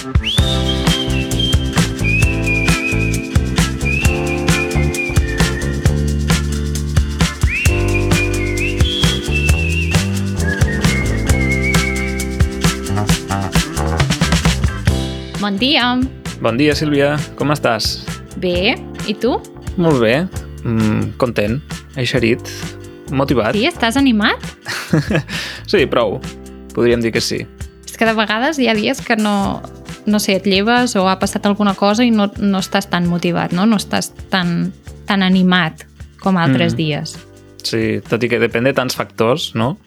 Bon dia. Bon dia, Sílvia. Com estàs? Bé, i tu? Molt bé. Content, eixerit, motivat. Sí, estàs animat? Sí, prou. Podríem dir que sí. És que de vegades hi ha dies que no sé, et lleves o ha passat alguna cosa i no estàs tan motivat, no? No estàs tan animat com altres dies. Sí, tot i que depèn de tants factors, no?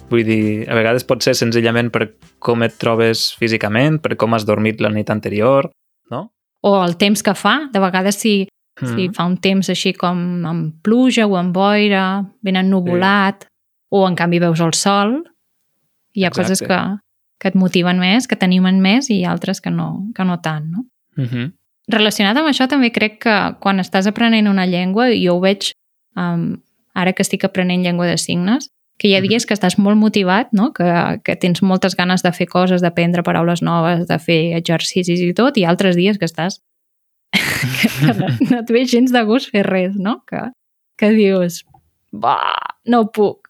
Vull dir, a vegades pot ser senzillament per com et trobes físicament, per com has dormit la nit anterior, no? O el temps que fa. De vegades si fa un temps així com amb pluja o amb boira, ben ennuvolat, o en canvi veus el sol, hi ha coses que et motiven més, que t'animen més i altres que no tant, no? Relacionat amb això també crec que quan estàs aprenent una llengua, jo ho veig ara que estic aprenent llengua de signes, que hi ha dies que estàs molt motivat, no? Que tens moltes ganes de fer coses, d'aprendre paraules noves, de fer exercicis i tot, i altres dies que estàs que no et ve gens de gust fer res, no? Que dius, no puc.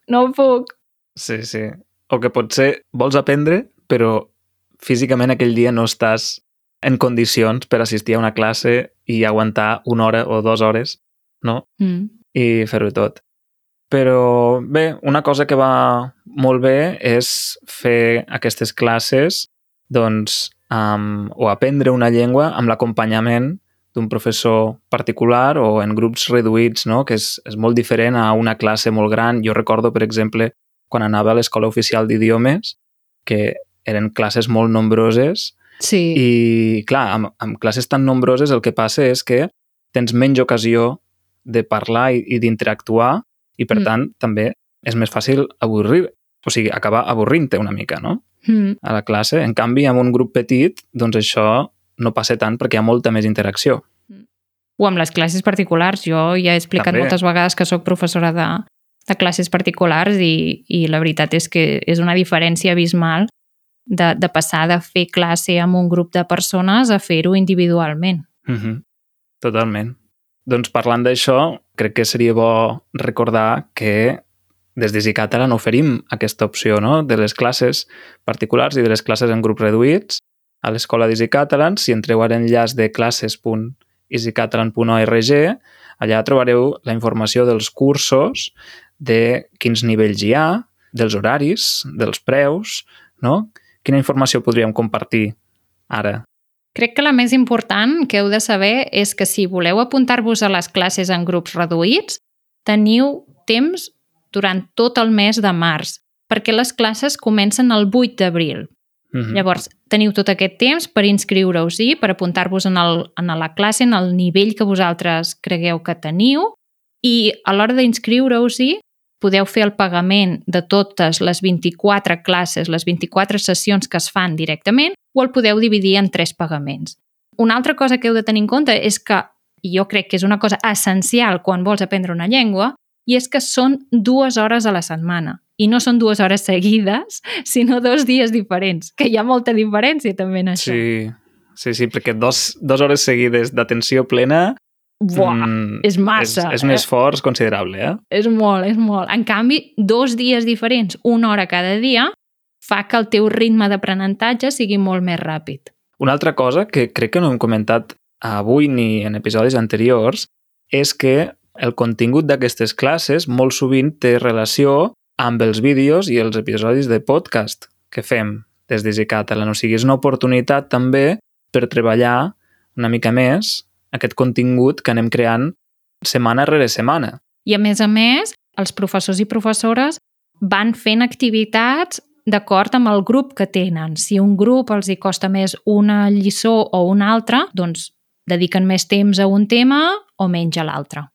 Sí. O que potser vols aprendre, però físicament aquell dia no estàs en condicions per assistir a una classe i aguantar 1 hora o 2 hores, no? I fer-ho tot. Però bé, una cosa que va molt bé és fer aquestes classes doncs, o aprendre una llengua amb l'acompanyament d'un professor particular o en grups reduïts, no? Que és molt diferent a una classe molt gran. Jo recordo, per exemple, quan anava a l'Escola Oficial d'Idiomes, que eren classes molt nombroses, i clar, amb classes tan nombroses el que passa és que tens menys ocasió de parlar i d'interactuar, i per tant també és més fàcil acabar avorrint-te una mica, no? A la classe. En canvi, amb un grup petit, doncs això no passa tant perquè hi ha molta més interacció. O amb les classes particulars. Jo ja he explicat moltes vegades que sóc professora de classes particulars i la veritat és que és una diferència abismal de passar de fer classe amb un grup de persones a fer-ho individualment. Totalment. Doncs parlant d'això, crec que seria bo recordar que des d'Easy Catalan oferim aquesta opció, no? De les classes particulars i de les classes en grups reduïts a l'escola d'Easy Catalan. Si entreu a l'enllaç de classes.easycatalan.org, allà trobareu la informació dels cursos, de quins nivells hi ha, dels horaris, dels preus, no? Quina informació podríem compartir ara? Crec que la més important que heu de saber és que si voleu apuntar-vos a les classes en grups reduïts, teniu temps durant tot el mes de març, perquè les classes comencen el 8 d'abril. Llavors, teniu tot aquest temps per inscriure-us-hi, per apuntar-vos en la classe, en el nivell que vosaltres cregueu que teniu, i a l'hora d'inscriure-us-hi podeu fer el pagament de totes les 24 classes, les 24 sessions que es fan directament, o el podeu dividir en 3 pagaments. Una altra cosa que heu de tenir en compte és que, jo crec que és una cosa essencial quan vols aprendre una llengua, i és que són 2 hores a la setmana. I no són 2 hores seguides, sinó 2 dies diferents, que hi ha molta diferència també en això. Sí, perquè 2 hores seguides d'atenció plena és massa. És un esforç considerable, eh? És molt. En canvi, 2 dies diferents, 1 hora cada dia, fa que el teu ritme d'aprenentatge sigui molt més ràpid. Una altra cosa que crec que no hem comentat avui ni en episodis anteriors és que el contingut d'aquestes classes molt sovint té relació amb els vídeos i els episodis de podcast que fem des d'Easy Catalan. O sigui, és una oportunitat també per treballar una mica més aquest contingut que anem creant setmana rere setmana. I a més, els professors i professores van fent activitats d'acord amb el grup que tenen. Si un grup els hi costa més una lliçó o una altra, doncs dediquen més temps a un tema o menys a l'altre.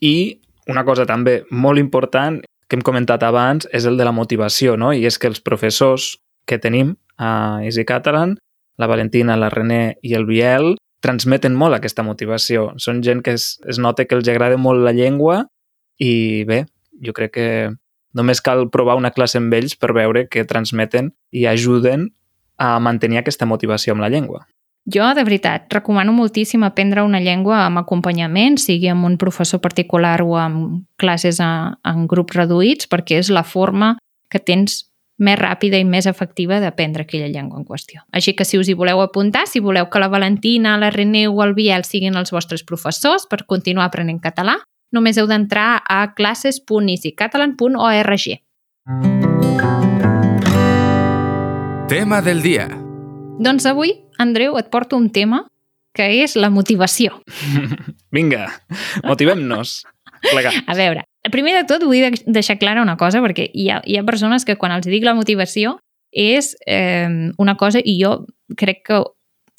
I una cosa també molt important que hem comentat abans és el de la motivació, no? I és que els professors que tenim a Easy Catalan, la Valentina, la René i el Biel, transmeten molt aquesta motivació. Són gent que es nota que els agrada molt la llengua i bé, jo crec que només cal provar una classe amb ells per veure que transmeten i ajuden a mantenir aquesta motivació amb la llengua? Jo, de veritat, recomano moltíssim aprendre una llengua amb acompanyament, sigui amb un professor particular o amb classes en grups reduïts, perquè és la forma que tens més ràpida i més efectiva d'aprendre aquella llengua en qüestió. Així que si us hi voleu apuntar, si voleu que la Valentina, la René o el Biel siguin els vostres professors per continuar aprenent català, només heu d'entrar a classes.easycatalan.org. Tema del dia. Doncs avui, Andreu, et porto un tema que és la motivació. Vinga, motivem-nos. A veure, primer de tot vull deixar clara una cosa, perquè hi ha persones que quan els dic la motivació és una cosa, i jo crec que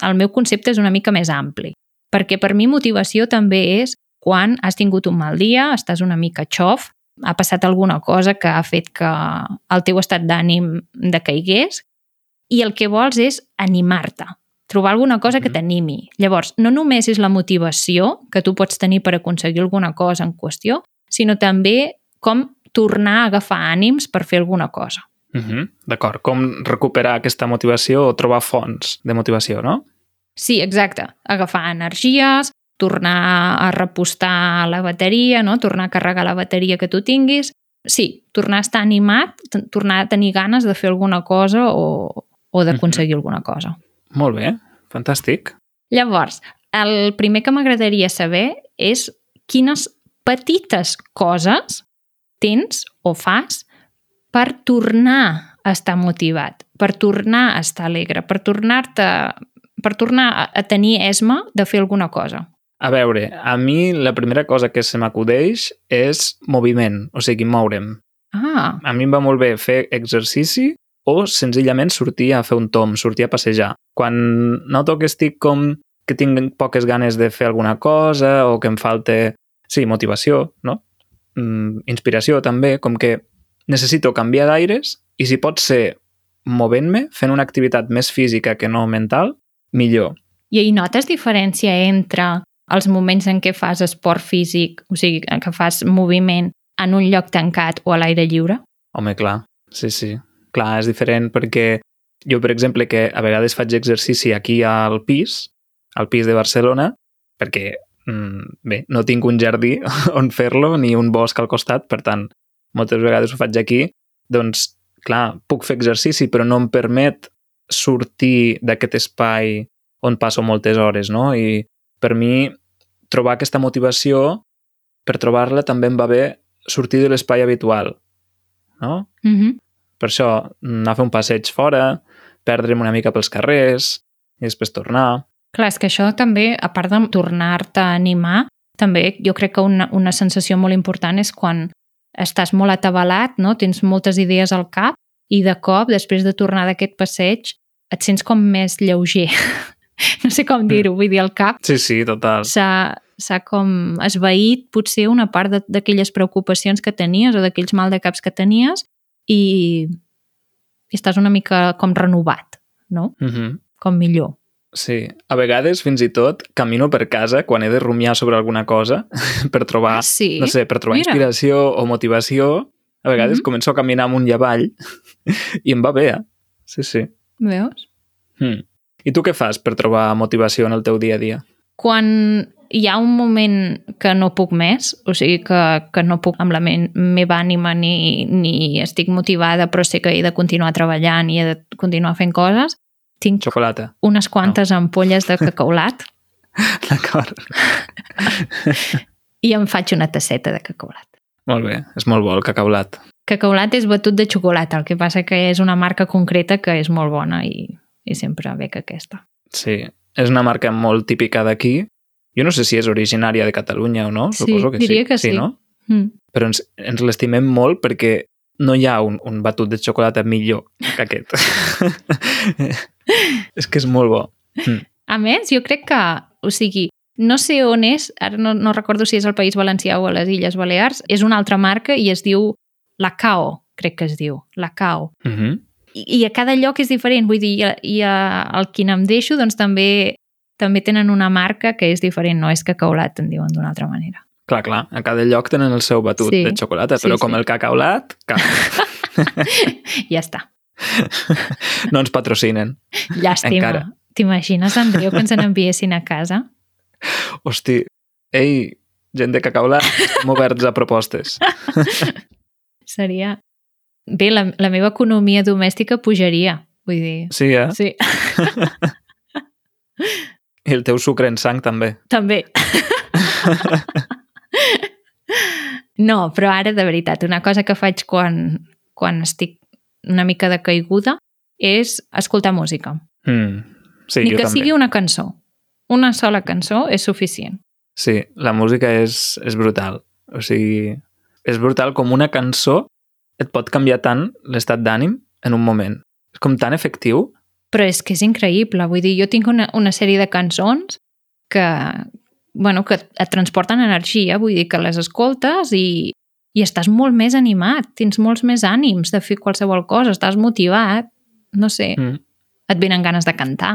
el meu concepte és una mica més ampli. Perquè per mi motivació també és quan has tingut un mal dia, estàs una mica xof, ha passat alguna cosa que ha fet que el teu estat d'ànim decaigués, i el que vols és animar-te, trobar alguna cosa que t'animi. Llavors, no només és la motivació que tu pots tenir per aconseguir alguna cosa en qüestió, sinó també com tornar a agafar ànims per fer alguna cosa. D'acord, com recuperar aquesta motivació o trobar fonts de motivació, no? Sí, exacte. Agafar energies, tornar a repostar la bateria, no? Tornar a carregar la bateria que tu tinguis. Sí, tornar a estar animat, tornar a tenir ganes de fer alguna cosa o d'aconseguir alguna cosa. Molt bé, fantàstic. Llavors, el primer que m'agradaria saber és quines petites coses tens o fas per tornar a estar motivat, per tornar a estar alegre, per tornar a tenir esma de fer alguna cosa. A veure, a mi la primera cosa que se m'acudeix és moviment, o sigui, moure'm. A mi em va molt bé fer exercici o senzillament sortir a fer un tomb, sortir a passejar. Quan noto que estic com que tinc poques ganes de fer alguna cosa o que em falta, sí, motivació, no? Inspiració també, com que necessito canviar d'aires i si pot ser movent-me, fent una activitat més física que no mental, millor. I hi notes diferència entre els moments en què fas esport físic, o sigui, que fas moviment en un lloc tancat o a l'aire lliure? Home, clar, sí. Clar, és diferent perquè jo, per exemple, que a vegades faig exercici aquí al pis de Barcelona, perquè, bé, no tinc un jardí on fer-lo ni un bosc al costat, per tant, moltes vegades ho faig aquí, doncs, clar, puc fer exercici, però no em permet sortir d'aquest espai on passo moltes hores, no? I per mi, trobar aquesta motivació, per trobar-la també em va bé sortir de l'espai habitual, no? Per això, anar a fer un passeig fora, perdre'm una mica pels carrers i després tornar. Clar, és que això també, a part de tornar-te a animar, també jo crec que una sensació molt important és quan estàs molt atabalat, no? Tens moltes idees al cap i de cop, després de tornar d'aquest passeig, et sents com més lleuger. No sé com dir-ho, vull dir, el cap. Sí, total. S'ha com esvaït potser una part d'aquelles preocupacions que tenies o d'aquells mal de caps que tenies i estàs una mica com renovat, no? Com millor. Sí, a vegades fins i tot camino per casa quan he de rumiar sobre alguna cosa per trobar, no sé, per trobar inspiració o motivació. A vegades començo a caminar amunt i avall i em va bé, Sí. Veus? I tu què fas per trobar motivació en el teu dia a dia? Quan hi ha un moment que no puc més, o sigui que no puc amb la meva ànima ni estic motivada, però sé que he de continuar treballant i he de continuar fent coses, tinc xocolata. Unes quantes ampolles de cacaulat. D'acord. I em faig una tasseta de cacaulat. Molt bé, és molt bo el cacaulat. Cacaulat és batut de xocolata, el que passa que és una marca concreta que és molt bona i sempre bec aquesta. Sí, és una marca molt típica d'aquí. Jo no sé si és originària de Catalunya o no, suposo que sí. Diria que sí. No? Però ens l'estimem molt perquè no hi ha un batut de xocolata millor que aquest. És que és molt bo. A més, jo crec que, o sigui, no sé on és, ara no recordo si és al País Valencià o a les Illes Balears, és una altra marca i es diu Lacao, crec que es diu, Lacao. I a cada lloc és diferent, vull dir, i al quin em deixo, doncs també tenen una marca que és diferent, no és cacaulat, en diuen d'una altra manera. Clar, a cada lloc tenen el seu batut de xocolata, però com el cacaulat, cap. Ja està. No ens patrocinen. Llàstima. Encara. T'imagines, Andreu, que ens n'enviessin a casa? Hosti, ei, gent de Cacaolat, estem oberts a propostes. Seria... Bé, la meva economia domèstica pujaria, vull dir... Sí, eh? Sí, I el teu sucre en sang també. també. No, però ara, de veritat, una cosa que faig quan estic una mica de caiguda és escoltar música. Sí, Ni jo que també. sigui una cançó. Una sola cançó és suficient. Sí, la música és brutal. O sigui, és brutal com una cançó et pot canviar tant l'estat d'ànim en un moment. És com tan efectiu. Però és que és increïble. Vull dir, jo tinc una sèrie de cançons que et transporten energia. Vull dir que les escoltes i estàs molt més animat. Tens molts més ànims de fer qualsevol cosa. Estàs motivat. No sé. Et venen ganes de cantar.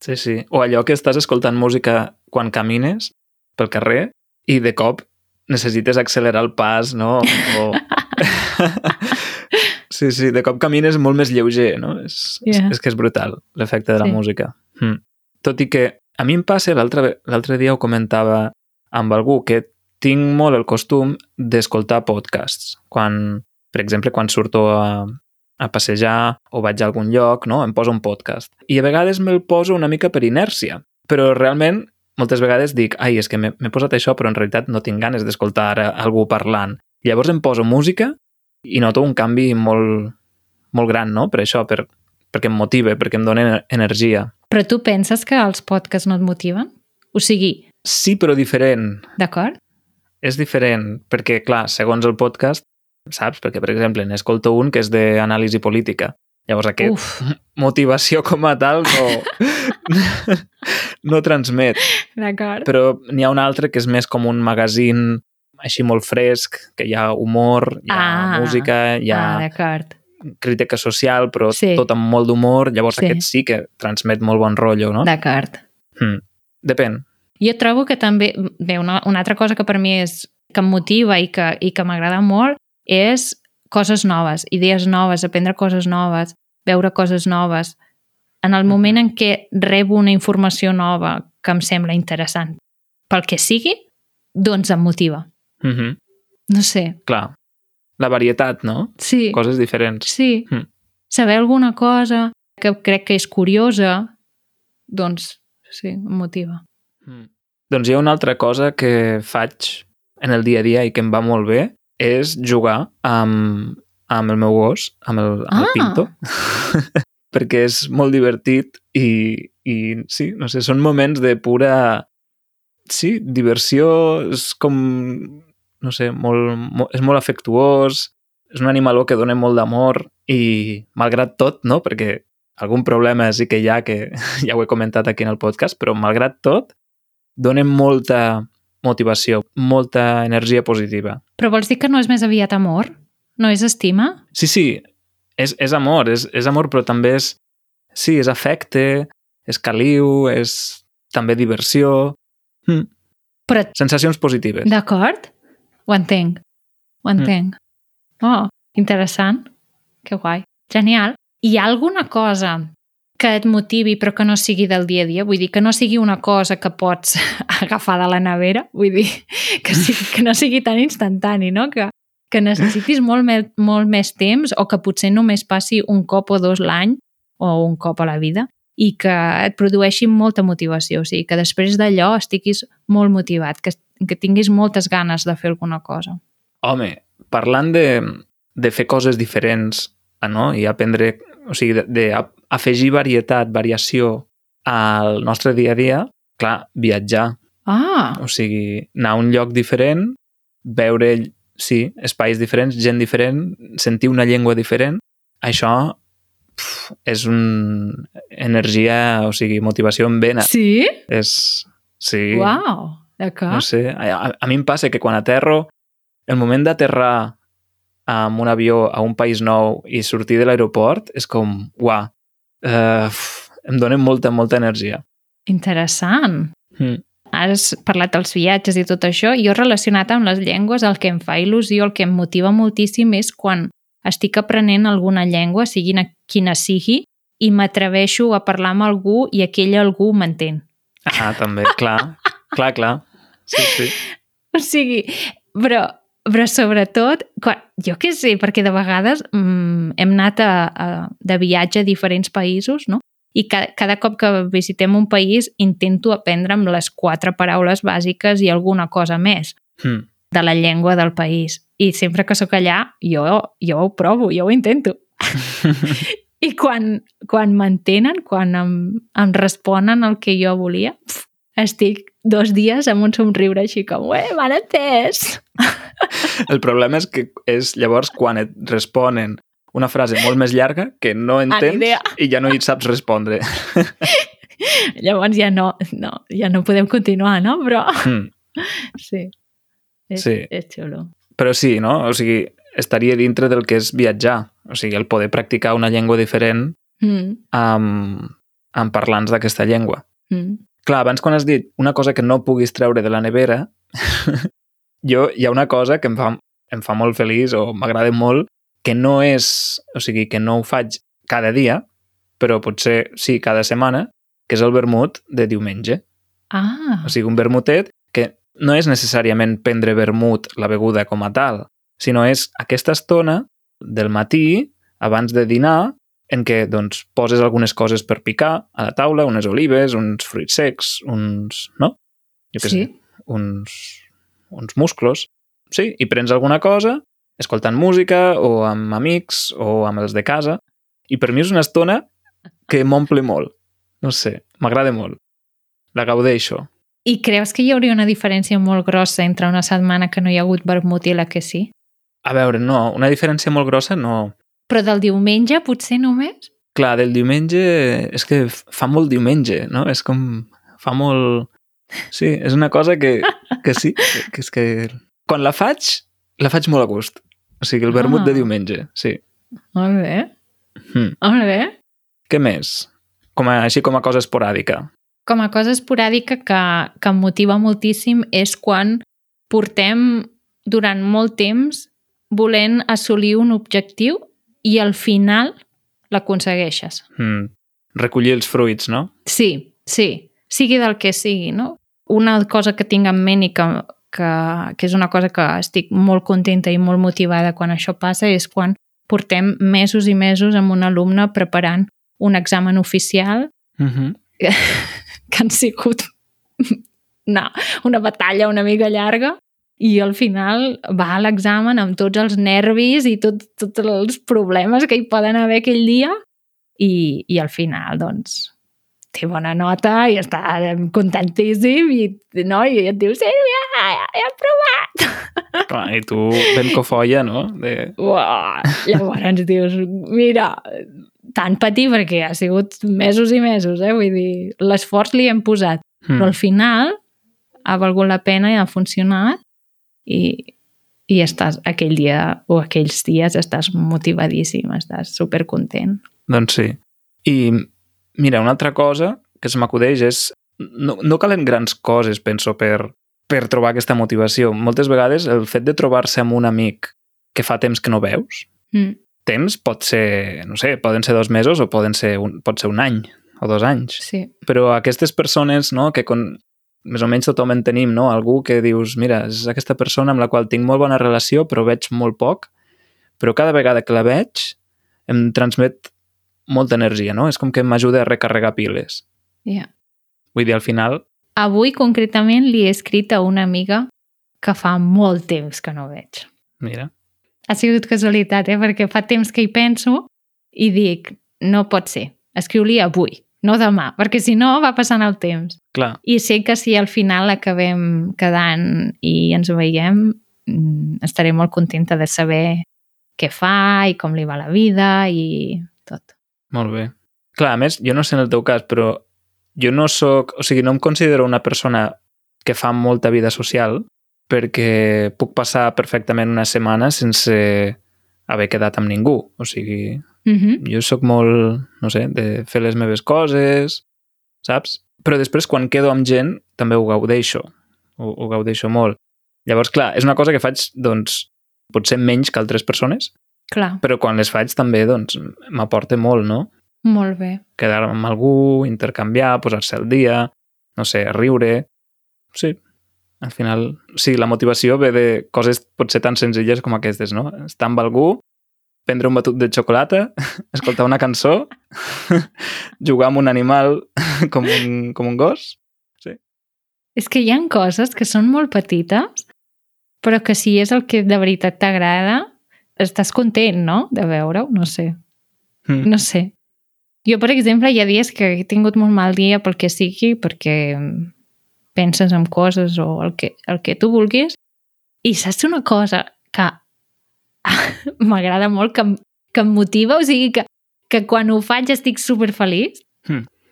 Sí, sí. O allò que estàs escoltant música quan camines pel carrer i de cop necessites accelerar el pas, no? O... Sí, sí, de cop camines molt més lleuger, no? És que és brutal, l'efecte de la música. Tot i que a mi em passa, l'altre dia ho comentava amb algú, que tinc molt el costum d'escoltar podcasts. Per exemple, quan surto a passejar o vaig a algun lloc, no? Em poso un podcast. I a vegades me'l poso una mica per inèrcia, però realment moltes vegades dic, ai, és que m'he posat això, però en realitat no tinc ganes d'escoltar ara algú parlant. Llavors em poso música i noto un canvi molt, molt gran, no? Per això, perquè em motiva, perquè em dona energia. Però tu penses que els podcasts no et motiven? O sigui... Sí, però diferent. D'acord? És diferent, perquè, clar, segons el podcast, saps? Perquè, per exemple, n'escolto un que és d'anàlisi política. Llavors, motivació com a tal no transmet. D'acord. Però n'hi ha un altre que és més com un magazín així molt fresc, que hi ha humor, hi ha música, hi ha crítica social, però tot amb molt d'humor. Llavors aquest sí que transmet molt bon rotllo, no? D'acord. Depèn. Jo trobo que també... Bé, una altra cosa que per mi que em motiva i que m'agrada molt és coses noves, idees noves, aprendre coses noves, veure coses noves. En el moment en què rebo una informació nova que em sembla interessant, pel que sigui, doncs em motiva. No sé. Clar. La varietat, no? Sí. Coses diferents. Sí. Saber alguna cosa que crec que és curiosa, doncs sí, em motiva. Doncs hi ha una altra cosa que faig en el dia a dia i que em va molt bé, és jugar amb el meu gos, amb el Pinto, perquè és molt divertit i sí, no sé, són moments de pura... Sí, diversió, és com... No sé, és molt afectuós, és un animaló que dona molt d'amor i, malgrat tot, no? Perquè algun problema sí que hi ha, que ja ho he comentat aquí en el podcast, però malgrat tot, dona molta motivació, molta energia positiva. Però vols dir que no és més aviat amor? No és estima? Sí, és amor, és amor, però també és... Sí, és afecte, és caliu, és també diversió... Però... Sensacions positives. D'acord? Ho entenc. Oh, interessant. Que guai. Genial. Hi ha alguna cosa que et motivi però que no sigui del dia a dia? Vull dir, que no sigui una cosa que pots agafar de la nevera? Vull dir, que no sigui tan instantani, no? Que necessitis molt més temps o que potser només passi un cop o dos l'any o un cop a la vida i que et produeixi molta motivació. O sigui, que després d'allò estiguis molt motivat, que tinguis moltes ganes de fer alguna cosa. Home, parlant de fer coses diferents, no? I aprendre, o sigui, d'afegir varietat, variació al nostre dia a dia, clar, viatjar. O sigui, anar a un lloc diferent, veure, sí, espais diferents, gent diferent, sentir una llengua diferent, això és una energia, o sigui, motivació en vena. Sí? Sí. Uau, d'acord. No sé, a mi em passa que quan aterro, el moment d'aterrar amb un avió a un país nou i sortir de l'aeroport és com, uau, em dona molta energia. Interessant. Has parlat dels viatges i tot això. Jo relacionat amb les llengües, el que em fa il·lusió, el que em motiva moltíssim és quan estic aprenent alguna llengua, quina sigui, i m'atreveixo a parlar amb algú i aquell algú m'entén. Ah, també, clar. Clar. Sí. O sigui, però sobretot, jo què sé, perquè de vegades hem anat de viatge a diferents països, no? I cada cop que visitem un país intento aprendre'm les 4 paraules bàsiques i alguna cosa més de la llengua del país. I sempre que sóc allà, jo ho provo, jo ho intento. I quan m'entenen, quan em responen el que jo volia, estic 2 dies amb un somriure així com, m'han entès! El problema és que és llavors quan et responen una frase molt més llarga que no entens i ja no hi saps respondre. Llavors ja no podem continuar, no? Però sí. És xulo. Però sí, no? O sigui, estaria dintre del que és viatjar. O sigui, el poder practicar una llengua diferent amb parlants d'aquesta llengua. Clar, abans quan has dit una cosa que no puguis treure de la nevera, hi ha una cosa que em fa molt feliç o m'agrada molt, que no és, o sigui, que no ho faig cada dia, però potser sí, cada setmana, que és el vermut de diumenge. Ah. O sigui, un vermutet que no és necessàriament prendre vermut, la beguda com a tal, sinó és aquesta estona del matí, abans de dinar, en què doncs, poses algunes coses per picar a la taula, unes olives, uns fruits secs, no? Jo què sé, uns musclos. Sí, i prens alguna cosa, escoltant música, o amb amics, o amb els de casa, i per mi és una estona que m'omple molt. No sé, m'agrada molt. La gaudeixo. I creus que hi hauria una diferència molt grossa entre una setmana que no hi ha hagut vermut i la que sí? A veure, no, una diferència molt grossa no. Però del diumenge potser només? Clar, del diumenge és que fa molt diumenge, no? És com... fa molt... Sí, és una cosa que sí, que és que... Quan la faig molt a gust. O sigui, el vermut de diumenge, sí. Molt bé. Molt bé. Què més? Així com a cosa esporàdica. Com a cosa esporàdica que em motiva moltíssim és quan portem durant molt temps volent assolir un objectiu i al final l'aconsegueixes. Recollir els fruits, no? Sí. Sigui del que sigui, no? Una cosa que tinc en ment i que és una cosa que estic molt contenta i molt motivada quan això passa és quan portem mesos i mesos amb un alumne preparant un examen oficial que han sigut una batalla una mica llarga i al final va a l'examen amb tots els nervis i tots els problemes que hi poden haver aquell dia i al final doncs té bona nota i està contentíssim i et diu Sílvia, he aprovat! Clar, i tu ben cofoia, no? Llavors dius, mira, tant patir perquè ha sigut mesos i mesos, vull dir, l'esforç li hem posat, però al final ha valgut la pena i ha funcionat i estàs aquell dia o aquells dies estàs motivadíssim, estàs supercontent. Doncs sí. I mira, una altra cosa que se m'acudeix és no calen grans coses, penso, per trobar aquesta motivació. Moltes vegades el fet de trobar-se amb un amic que fa temps que no veus, temps pot ser, no sé, poden ser 2 mesos o pot ser un any o 2 anys. Sí. Però aquestes persones, no, que més o menys tothom en tenim, no? Algú que dius, mira, és aquesta persona amb la qual tinc molt bona relació però veig molt poc, però cada vegada que la veig em transmet molta energia, no? És com que m'ajuda a recarregar piles. Yeah. Vull dir, al final... Avui, concretament, li he escrit a una amiga que fa molt temps que no veig. Mira. Ha sigut casualitat, perquè fa temps que hi penso i dic, no pot ser, escriu-li avui, no demà, perquè si no va passant el temps. Clar. I sé que si al final acabem quedant i ens veiem, estaré molt contenta de saber què fa i com li va la vida i tot. Molt bé. Clar, a més, jo no sé en el teu cas, però jo no soc... O sigui, no em considero una persona que fa molta vida social perquè puc passar perfectament una setmana sense haver quedat amb ningú. O sigui, jo sóc molt, no sé, de fer les meves coses, saps? Però després, quan quedo amb gent, també ho gaudeixo. Ho gaudeixo molt. Llavors, clar, és una cosa que faig, doncs, potser menys que altres persones, Clar, Però quan les faig també, doncs, m'aporta molt, no? molt bé. Quedar amb algú, intercanviar, posar-se al dia, no sé, riure... Sí, al final... Sí, la motivació ve de coses potser tan senzilles com aquestes, no? Estar amb algú, prendre un batut de xocolata, escoltar una cançó, jugar amb un animal com un gos. Sí. És que hi ha coses que són molt petites, però que si és el que de veritat t'agrada, estàs content, no?, de veure-ho, no sé. No sé. Jo, per exemple, hi ha dies que he tingut molt mal dia pel que sigui, perquè penses en coses o el que tu vulguis, i saps una cosa que m'agrada molt, que em motiva, o sigui, que quan ho faig estic superfeliç,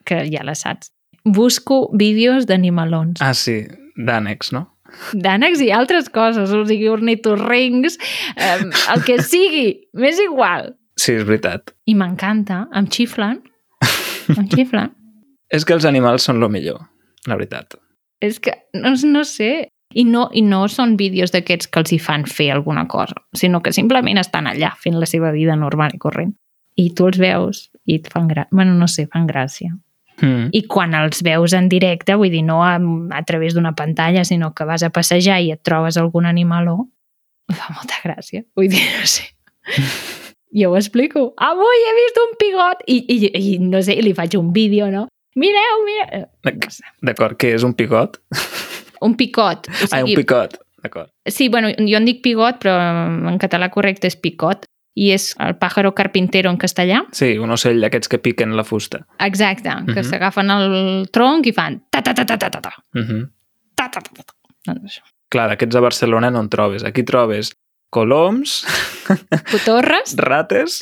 que ja la saps. Busco vídeos d'animalons. Ah, sí, d'ànecs, no? D'ànecs i altres coses, o sigui, ornitorrincs, el que sigui, m'és igual. Sí, és veritat. I m'encanta, em xiflen. Em xiflen. És que els animals són lo millor, la veritat. És que, no sé, i no són vídeos d'aquests que els hi fan fer alguna cosa, sinó que simplement estan allà fent la seva vida normal i corrent. I tu els veus i et fan gràcia. Bueno, no sé, fan gràcia. I quan els veus en directe, vull dir, no a través d'una pantalla, sinó que vas a passejar i et trobes algun animaló, fa molta gràcia. Vull dir, no sé. Jo ho explico. Avui he vist un pigot i no sé, li faig un vídeo, no? Mireu. No sé. D'acord, què és un pigot? Un picot. O sigui, un picot, d'acord. Sí, bueno, jo en dic pigot, però en català correcte és picot. I és el pájaro carpintero en castellà. Sí, un ocell d'aquests que piquen la fusta. Exacte, que s'agafen el tronc i fan ta-ta-ta-ta-ta-ta. Ta-ta-ta-ta-ta. Doncs això. Clar, d'aquests a Barcelona no en trobes. Aquí trobes coloms, Cotorres. rates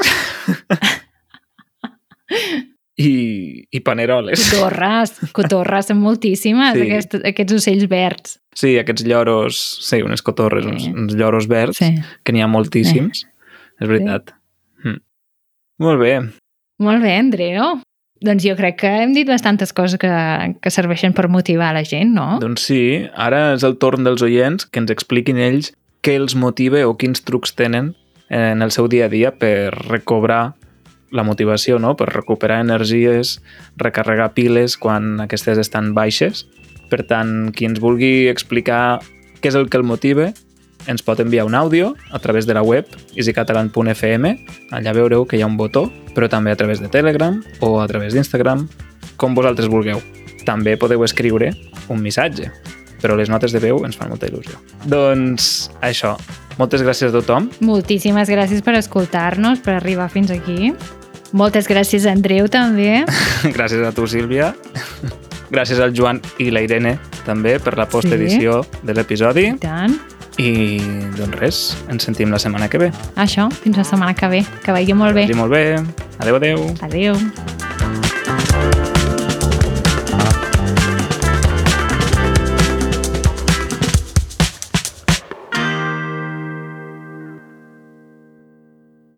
i paneroles. Cotorres són moltíssimes, Sí. aquests ocells verds. Sí, aquests lloros, sí, unes cotorres, uns lloros verds, que n'hi ha moltíssims. És veritat. Molt bé. Molt bé, Andreu. Doncs jo crec que hem dit bastantes coses que serveixen per motivar la gent, no? Doncs sí, ara és el torn dels oients que ens expliquin ells què els motiva o quins trucs tenen en el seu dia a dia per recobrar la motivació, no? Per recuperar energies, recarregar piles quan aquestes estan baixes. Per tant, qui ens vulgui explicar què és el que el motiva, ens pot enviar un àudio a través de la web easycatalan.fm. Allà veureu que hi ha un botó, però també a través de Telegram o a través d'Instagram, com vosaltres vulgueu. També podeu escriure un missatge, però les notes de veu ens fan molta il·lusió. Doncs això, moltes gràcies a tothom. Moltíssimes gràcies per escoltar-nos, per arribar fins aquí. Moltes gràcies a Andreu, també. Gràcies a tu, Sílvia. Gràcies al Joan i la Irene, també, per la postedició de l'episodi. I tant. I, doncs res, ens sentim la setmana que ve. Això, fins la setmana que ve. Que vagi molt bé. Que vagi molt bé. Adéu, adéu. Adéu.